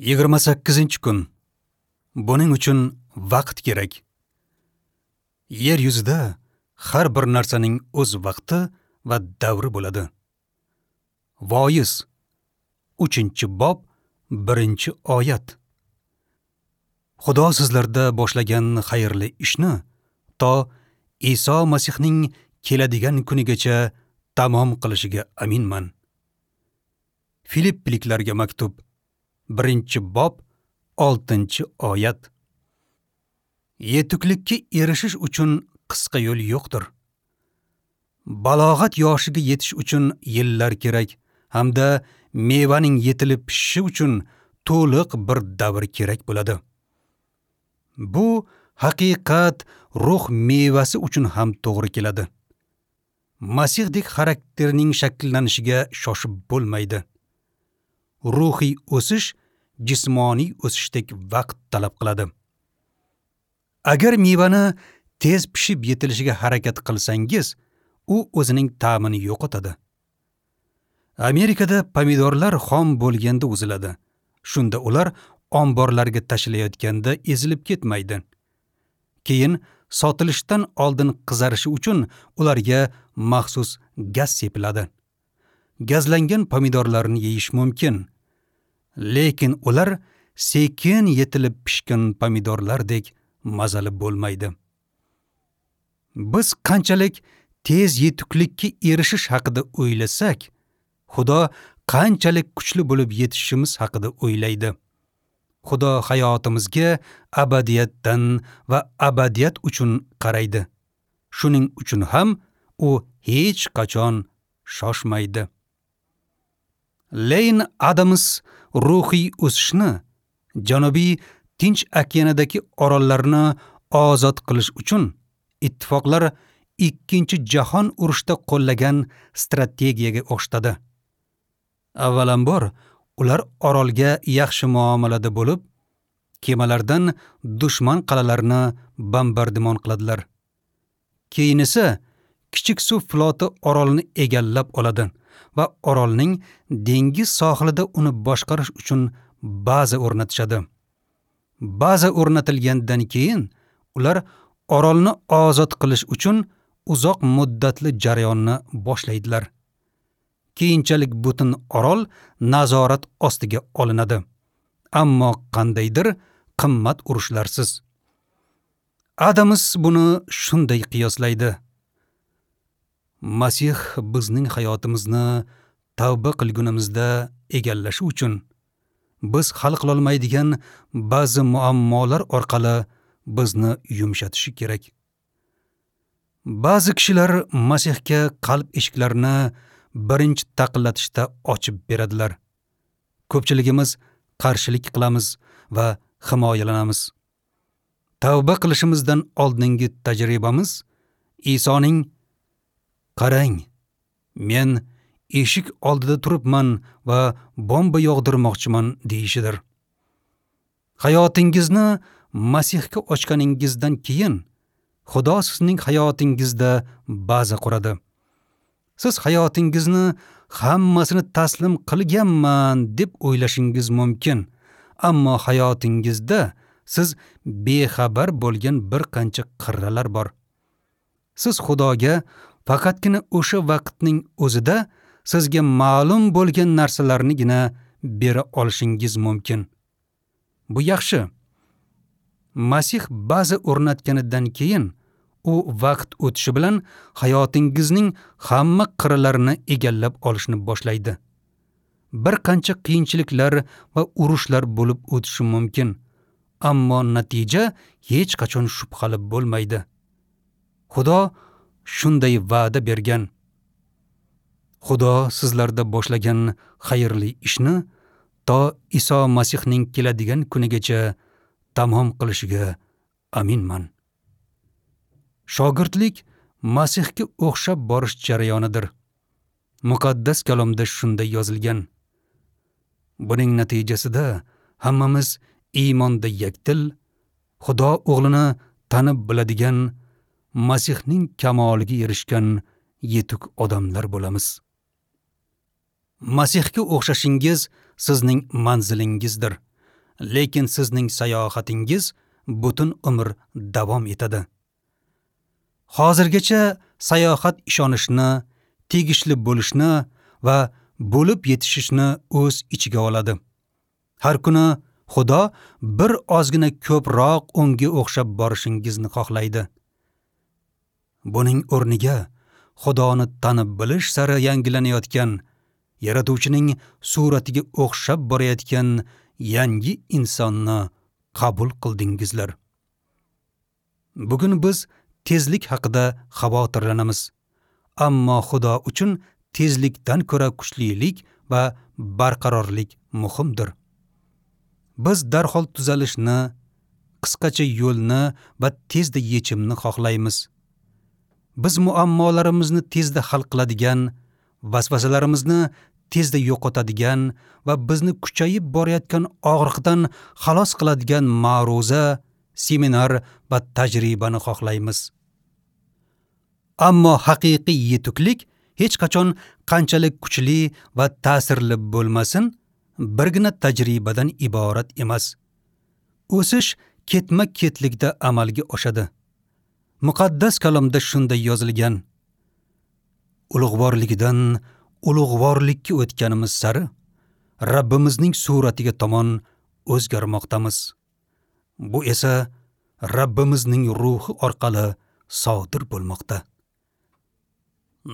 28-kun. Buning uchun vaqt kerak. Yer yuzida har bir narsaning o'z vaqti va davri bo'ladi. Voiz 3-bob 1-oyat. Xudo sizlarda boshlagan xayrli ishni to Iso Masihning keladigan kunigacha tamom qilishiga aminman. Filipliklarga maktub 1-bob 6-oyat. Yetuklikka erishish uchun qisqa yo'l yo'qdir. Balog'at yoshiga yetish uchun yillar kerak hamda mevaning yetilib pishishi uchun to'liq bir davr kerak bo'ladi. Bu haqiqat ruh mevasi uchun ham to'g'ri keladi. Masihdek xarakterning shakllanishiga shoshib bo'lmaydi. Ruhiy o'sish jismoniy o'sishdek vaqt talab qiladi. Agar mevani tez pishib yetilishiga harakat qilsangiz, u o'zining ta'mini yo'qotadi. Amerikada pomidorlar xom bo'lganda uziladi. Shunda ular omborlarga tashilayotganda ezilib ketmaydi. Keyin sotilishdan oldin qizarishi uchun ularga maxsus gaz sepiladi. Gazlangan pomidorlarni yeyish mumkin. Lekin ular sekin yetilib pishgan pomidorlardek mazali bo'lmaydi. Biz qanchalik tez yetuklikka erishish haqida o'ylasak, Xudo qanchalik kuchli bo'lib yetishishimiz haqida o'ylaydi. Xudo hayotimizga abadiyatdan va abadiyat uchun qaraydi. Shuning uchun ham u hech qachon shoshmaydi. Leyn Adams ruhiy o'sishni Janubiy Tinch okeanidagi orollarni ozod qilish uchun ittifoqlar 2-jahon urushida qo'llagan strategiyaga o'xshatadi. Avvalambor, ular orolga yaxshi muomalada bo'lib, kemalardan dushman qalalarini bombardimon qiladilar. Keyin esa kichik suv floti orolni egallab oladi va orolning dengiz sohilida uni boshqarish uchun baza o'rnatishadi. Baza o'rnatilgandan keyin ular orolni ozod qilish uchun uzoq muddatli jarayonni boshlaydilar. Keyinchalik butun orol nazorat ostiga olinadi. Ammo qandaydir qimmat urushlarsiz. Adams buni shunday qiyoslaydi. Masih bizning hayotimizni tavba qilgunimizda egallashi uchun biz hal qila olmaydigan ba'zi muammolar orqali bizni yumshatishi kerak. Ba'zi kishilar Masihga qalb eshiklarini birinchi taqillatishda ochib beradilar. Ko'pchiligimiz qarshilik qilamiz va himoyalanamiz. Tavba qilishimizdan oldingi tajribamiz Isoning "Qarang, men eshik oldida turibman va bomba yog'dirmoqchiman" deyishidir. Hayotingizni Masihga ochganingizdan keyin Xudo sizning hayotingizda baza quradi. Siz hayotingizni hammasini taslim qilganman deb o'ylashingiz mumkin, ammo hayotingizda siz bexabar bo'lgan bir qancha qirralar bor. Siz Xudoga faqatgina o'sha vaqtning o'zida sizga ma'lum bo'lgan narsalarnigina bera olishingiz mumkin. Bu yaxshi. Masih baza o'rnatganidan keyin u vaqt o'tishi bilan hayotingizning hamma qirralarini egallab olishni boshlaydi. Bir qancha qiyinchiliklar va urushlar bo'lib o'tishi mumkin, ammo natija hech qachon shubhali bo'lmaydi. Xudo shunday va'da bergan. Xudo sizlarda boshlagan xayrli ishni to Iso Masihning keladigan kunigacha tamom qilishiga aminman. Shogirdlik Masihga o'xshab borish jarayonidir. Muqaddas kalomda shunday yozilgan. Buning natijasida hammamiz iymonda yakdil, Xudo o'g'lini tanib biladigan, Masihning kamoliga erishgan yetuk odamlar bo'lamiz. Masihga o'xshashingiz sizning manzilingizdir. Lekin sizning sayohatingiz butun umr davom etadi. Hozirgacha sayohat ishonishni, tegishli bo'lishni va bo'lib yetishishni o'z ichiga oladi. Har kuni Xudo bir ozgina ko'proq unga o'xshab borishingizni xohlaydi. Buning o'rniga Xudoni tanib bilish sari yangilanayotgan, Yaratuvchining suratiga o'xshab borayotgan yangi insonni qabul qildingizlar. Bugun biz tezlik haqida xavotirlanamiz. Ammo Xudo uchun tezlikdan ko'ra kuchlilik va barqarorlik muhimdir. Biz darhol tuzalishni, qisqacha yo'lni va tezda yechimni xohlaymiz. Biz muammolarimizni tezda hal qiladigan, vasvasalarimizni tezda yo'qotadigan va bizni kuchayib borayotgan og'riqdan xalos qiladigan ma'ruza, seminar va tajribani xohlaymiz. Ammo haqiqiy yetuklik hech qachon qanchalik kuchli va ta'sirli bo'lmasin, birgina tajribadan iborat emas. O'sish ketma-ketlikda amalga oshadi. Muqaddas kalomda shunday yozilgan: Ulug'vorligidan ulug'vorlikka o'tganimiz sari Rabbimizning suratiga tomon o'zgarmoqdamiz. Bu esa Rabbimizning ruhi orqali sodir bo'lmoqda.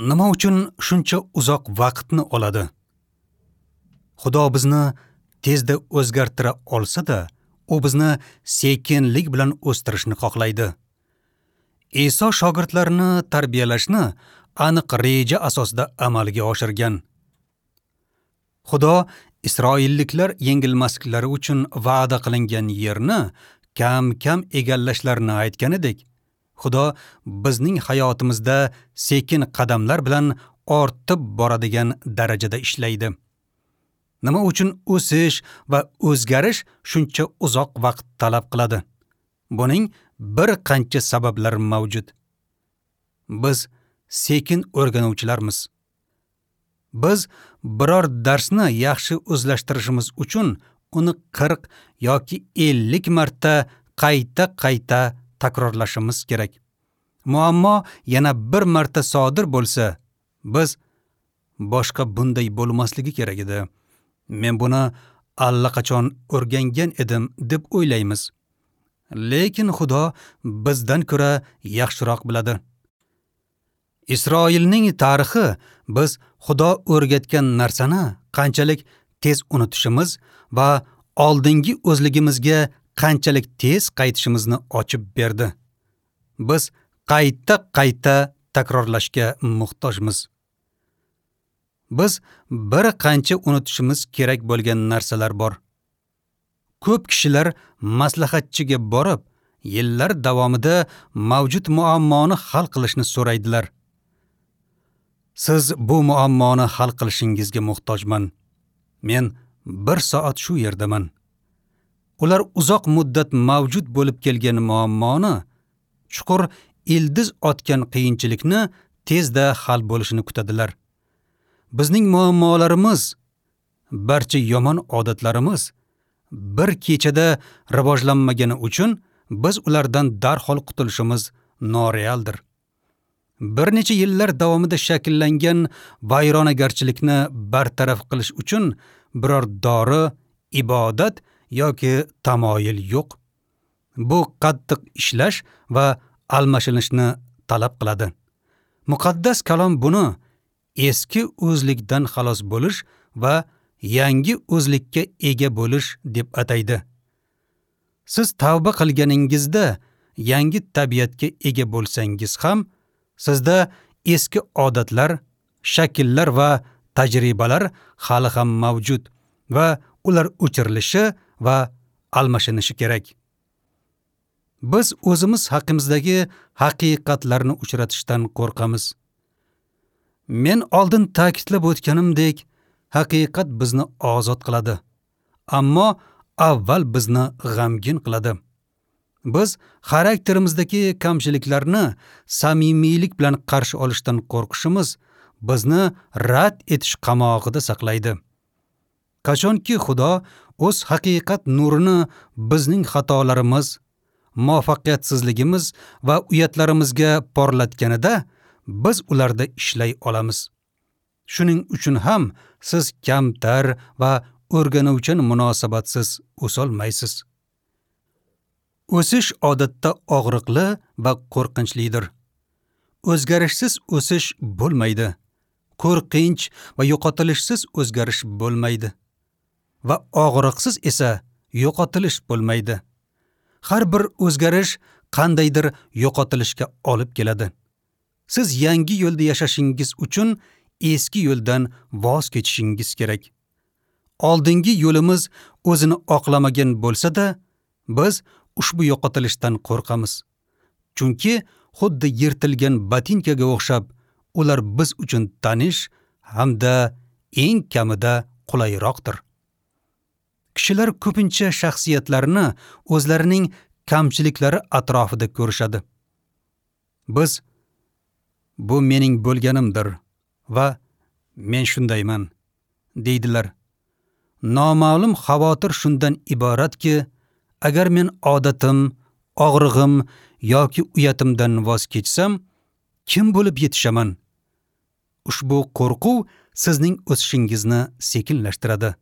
Nima uchun shuncha uzoq vaqtni oladi? Xudo bizni tezda o'zgartira olsa-da, u bizni sekinlik bilan o'stirishni xohlaydi. Iso shogirdlarini tarbiyalashni aniq reja asosida amalga oshirgan. Xudo Isroilliklar yengilmasliklari uchun va'da qilingan yerni kam-kam egallashlarini aytganidek, Xudo bizning hayotimizda sekin qadamlar bilan ortib boradigan darajada ishlaydi. Nima uchun o'sish va o'zgarish shuncha uzoq vaqt talab qiladi? Buning bir qancha sabablari mavjud. Biz sekin o'rganuvchilarmiz. Biz biror darsni yaxshi o'zlashtirishimiz uchun uni 40 yoki 50 marta qayta-qayta takrorlashimiz kerak. Muammo yana bir marta sodir bo'lsa, biz boshqa bunday bo'lmasligi kerak edi. Men buni allaqachon o'rgangan edim deb o'ylaymiz. Lekin Xudo bizdan ko'ra yaxshiroq biladi. Isroilning tarixi biz Xudo o'rgatgan narsani qanchalik tez unutishimiz va oldingi o'zligimizga qanchalik tez qaytishimizni ochib berdi. Biz qayta-qayta takrorlashga muhtojmiz. Biz bir qancha unutishimiz kerak bo'lgan narsalar bor. Ko'p kishilar maslahatchiga borib, yillar davomida mavjud muammoni hal qilishni so'raydilar. Siz bu muammoni hal qilishingizga muhtojman. Men 1 soat shu yerdaman. Ular uzoq muddat mavjud bo'lib kelgan muammoni, chuqur ildiz otgan qiyinchilikni tezda hal bo'lishini kutadilar. Bizning muammolarimiz, barcha yomon odatlarimiz bir kechada rivojlanmagani uchun biz ulardan darhol qutulishimiz norealdir. Bir necha yillar davomida shakllangan vayronagarchilikni bartaraf qilish uchun biror dori, ibodat yoki tamoyil yo'q. Bu qattiq ishlash va almashinishni talab qiladi. Muqaddas kalom buni eski o'zlikdan xalos bo'lish va yangi o'zlikka ega bo'lish deb ataydi. Siz tavba qilganingizda yangi tabiatga ega bo'lsangiz ham, sizda eski odatlar, shakllar va tajribalar hali ham mavjud va ular o'chirilishi va almashinishi kerak. Biz o'zimiz haqimizdagi haqiqatlarni uchratishdan qo'rqamiz. Men oldin ta'kidlab o'tganimdek, haqiqat bizni ozod qiladi, ammo avval bizni g'amgin qiladi. Biz xarakterimizdagi kamchiliklarni samimiylik bilan qarshi olishdan qo'rqishimiz bizni rad etish qamog'ida saqlaydi. Qachonki Xudo o'z haqiqat nurini bizning xatolarimiz, muvaffaqiyatsizligimiz va uyatlarimizga porlatganida, biz ularda ishlay olamiz. Shuning uchun ham siz kamtar va o'rganuvchan munosabatsiz o'solmaysiz. O'sish odatda og'riqli va qo'rqinchlidir. O'zgarishsiz o'sish bo'lmaydi. Qo'rqinch va yo'qotilishsiz o'zgarish bo'lmaydi. Va og'riqsiz esa yo'qotilish bo'lmaydi. Har bir o'zgarish qandaydir yo'qotilishga olib keladi. Siz yangi yo'lda yashashingiz uchun eski yo'ldan voz kechishingiz kerak. Oldingi yo'limiz o'zini oqlamagan bo'lsa-da, biz ushbu yo'qotilishdan qo'rqamiz. Chunki xuddi yirtilgan botinkaga o'xshab, ular biz uchun tanish hamda eng kamida qulayroqdir. Kishilar ko'pincha shaxsiyatlarini o'zlarining kamchiliklari atrofida ko'rishadi. Biz bu mening bo'lganimdir va men shundayman deydilar. Noma'lum xavotir shundan iboratki, agar men odatim, og'rig'im yoki uyatimdan voz kechsam, kim bo'lib yetishaman? Ushbu qo'rquv sizning o'sishingizni sekinlashtiradi.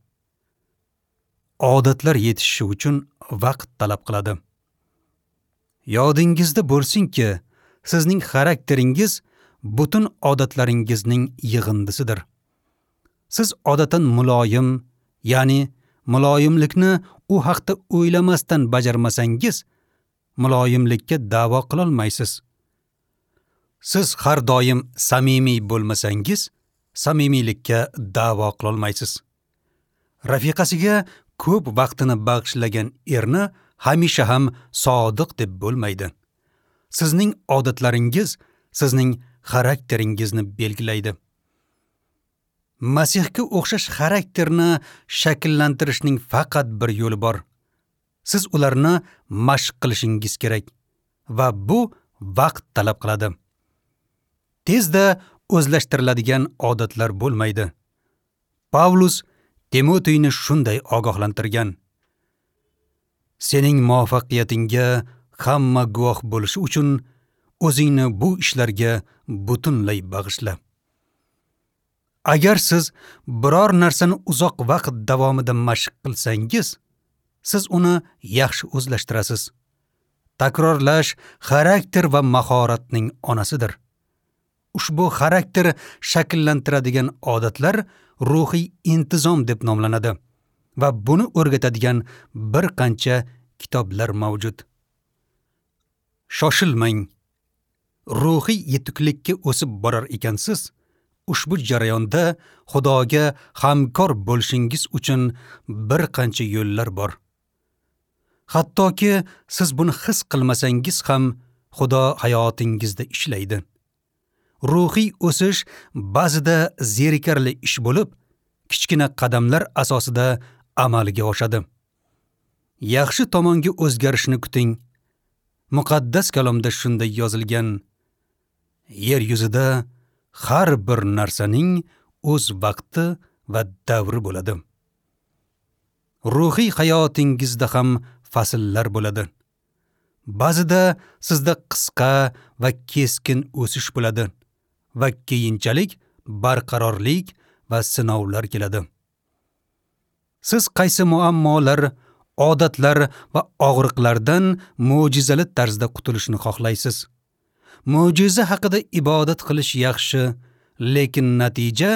Odatlar yetishishi uchun vaqt talab qiladi. Yodingizda bo'lsinki, sizning xarakteringiz butun odatlaringizning yig'indisidir. Siz odatan muloyim, ya'ni muloyimlikni u haqda o'ylamasdan bajarmasangiz, muloyimlikka da'vo qilolmaysiz. Siz har doim samimiy bo'lmasangiz, samimiylikka da'vo qilolmaysiz. Rafiqasiga ko'p vaqtini bag'ishlagan erni hamisha ham sodiq deb bo'lmaydi. Sizning odatlaringiz sizning xarakteringizni belgilaydi. Masihga o'xshash xarakterni shakllantirishning faqat bir yo'li bor. Siz ularni mashq qilishingiz kerak va bu vaqt talab qiladi. Tezda o'zlashtiriladigan odatlar bo'lmaydi. Pavlus Timoteyni shunday ogohlantirgan: Sening muvaffaqiyatingga hamma guvoh bo'lishi uchun o'zingni bu ishlarga butunlay bag'ishla. Agar siz biror narsani uzoq vaqt davomida mashq qilsangiz, siz uni yaxshi o'zlashtirasiz. Takrorlash xarakter va mahoratning onasidir. Ushbu xarakter shakllantiradigan odatlar ruhiy intizom deb nomlanadi va buni o'rgatadigan bir qancha kitoblar mavjud. Shoshilmang. Ruhiy yetuklikka o'sib borar ekansiz, ushbu jarayonda Xudoga hamkor bo'lishingiz uchun bir qancha yo'llar bor. Hattoki siz buni his qilmasangiz ham Xudo hayotingizda ishlaydi. Ruhiy o'sish ba'zida zerikarli ish bo'lib, kichkina qadamlar asosida amalga oshadi. Yaxshi tomonga o'zgarishni kuting. Muqaddas kalomda shunday yozilgan: Yer yuzida har bir narsaning o'z vaqti va davri bo'ladi. Ruhiy hayotingizda ham fasllar bo'ladi. Ba'zida sizda qisqa va keskin o'sish bo'ladi va keyinchalik barqarorlik va sinovlar keladi. Siz qaysi muammolar, odatlar va og'riqlardan mo'jizali tarzda qutulishni xohlaysiz? Mo'jiza haqida ibodat qilish yaxshi, lekin natija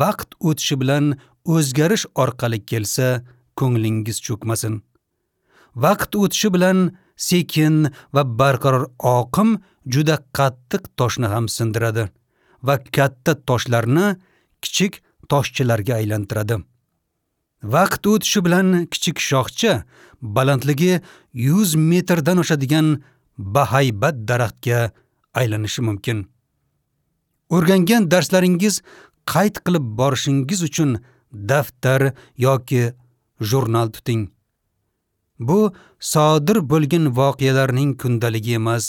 vaqt o'tishi bilan o'zgarish orqali kelsa, ko'nglingiz cho'kmasin. Vaqt o'tishi bilan sekin va barqaror oqim juda qattiq toshni ham sindiradi va katta toshlarni kichik toshchalarga aylantiradi. Vaqt o'tishi bilan kichik shoxcha balandligi 100 metrdan oshadigan bahaybat daraxtga aylanishi mumkin. O'rgangan darslaringiz qayd qilib borishingiz uchun daftar yoki jurnal tuting. Bu sodir bo'lgan voqealarning kundaligi emas,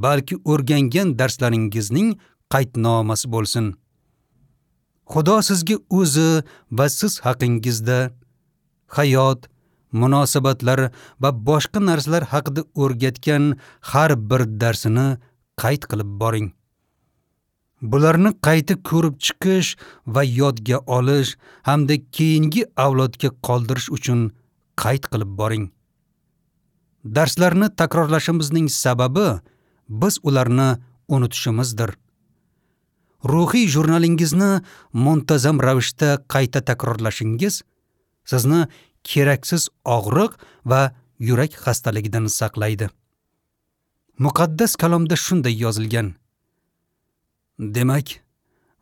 balki o'rgangan darslaringizning qaydnomasi bo'lsin. Xudo sizga o'zi va siz haqingizda hayot, munosabatlar va boshqa narsalar haqida o'rgatgan har bir darsini qayd qilib boring. Bularni qayta ko'rib chiqish va yodga olish hamda keyingi avlodga qoldirish uchun qayd qilib boring. Darslarni takrorlashimizning sababi biz ularni unutishimizdir. Ruhiy jurnalingizni muntazam ravishda qayta takrorlashingiz sizni keraksiz og'riq va yurak xastaligidan saqlaydi. Muqaddas kalomda shunday yozilgan: Demak,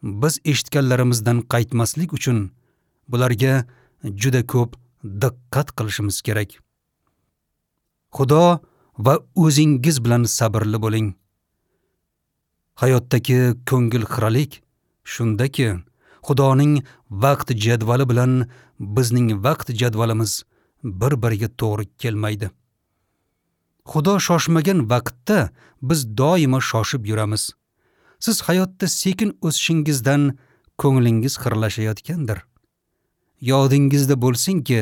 biz eshitganlarimizdan qaytmaslik uchun bularga juda ko'p diqqat qilishimiz kerak. Xudo va o'zingiz bilan sabrli bo'ling. Hayotdagi ko'ngil xiralik shundaki, Xudoning vaqt jadvali bilan bizning vaqt jadvalimiz bir-biriga to'g'ri kelmaydi. Xudo shoshmagan vaqtda biz doimo shoshib yuramiz. Siz hayotda sekin o'sishingizdan ko'nglingiz xiralashayotgandir. Yodingizda bo'lsinki,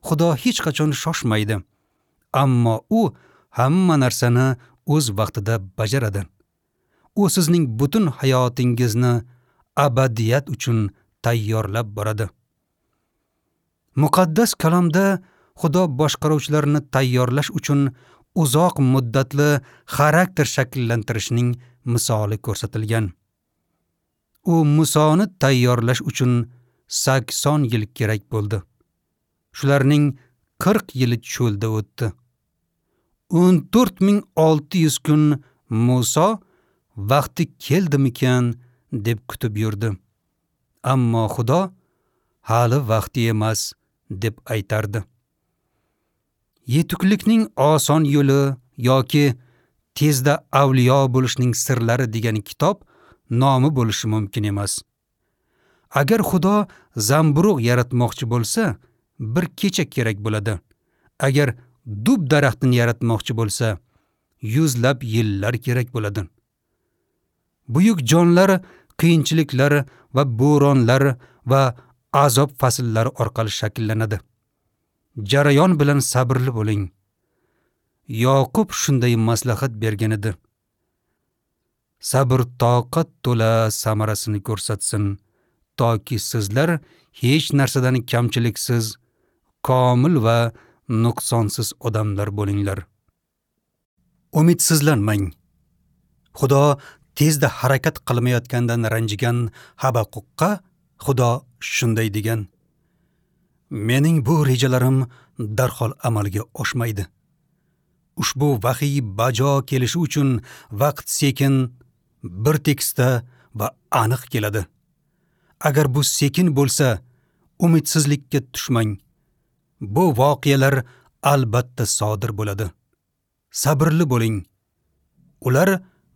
Xudo hech qachon shoshmaydi, ammo u hamma narsani o'z vaqtida bajaradi. U sizning butun hayotingizni abadiyat uchun tayyorlab boradi. Muqaddas kalomda Xudo boshqaruvchilarni tayyorlash uchun uzoq muddatli xarakter shakllantirishning misoli ko'rsatilgan. U Musoni tayyorlash uchun 80 yil kerak bo'ldi. Shularning 40 yili cho'lda o'tdi. 14600 kun Muso vaqti keldimikan deb kutib yurdi. Ammo Xudo hali vaqti emas deb aytardi. Yetuklikning oson yo'li yoki tezda avliyo bo'lishning sirlari degan kitob nomi bo'lishi mumkin emas. Agar Xudo zamburug' yaratmoqchi bo'lsa, bir kecha kerak bo'ladi. Agar dub daraxtini yaratmoqchi bo'lsa, yuzlab yillar kerak bo'ladi. Buyuk jonlar qiyinchiliklar va bo'ronlar va azob fasllari orqali shakllanadi. Jarayon bilan sabrli bo'ling. Yoqub shunday maslahat bergan edi. Sabr toqat to'la samarasini ko'rsatsin, toki sizlar hech narsadan kamchiliksiz, komil va nuqsonsiz odamlar bo'linglar. Umidsizlanmang. Xudo tezda harakat qilmayotgandan ranjigan Habaquqqa Xudo shunday degan: Mening bu rejalarim darhol amalga oshmaydi. Ushbu vahiy bajo kelishi uchun vaqt sekin, bir tekisda va aniq keladi. Agar bu sekin bo'lsa, umidsizlikka tushmang. Bu voqealar albatta sodir bo'ladi. Sabrli bo'ling. Ular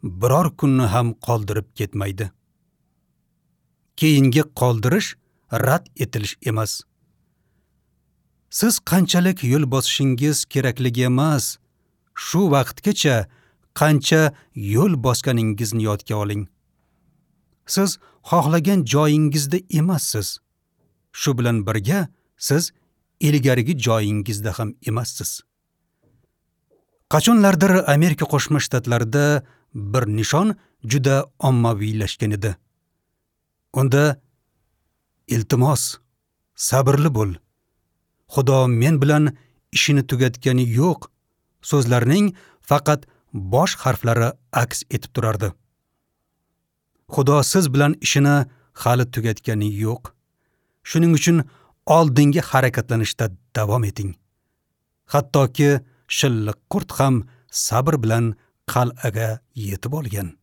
biror kunni ham qoldirib ketmaydi. Keyingi qoldirish rad etilish emas. Siz qanchalik yo'l bosishingiz kerakligi emas, shu vaqtgacha qancha yo'l bosganingizni yodga oling. Siz xohlagan joyingizda emassiz. Shu bilan birga siz ilgarigi joyingizda ham emassiz. Qachonlardir Amerika Qo'shma Shtatlarida bir nishon juda ommaviylashgan edi. Unda iltimos, sabrli bo'l. Xudo men bilan ishini tugatgani yo'q so'zlarning faqat bosh harflari aks etib turardi. Xudo siz bilan ishini hali tugatgani yo'q. Shuning uchun oldingi harakatlanishda davom eting. Hattoki shilliq qurt ham sabr bilan qal'aga yetib olgan.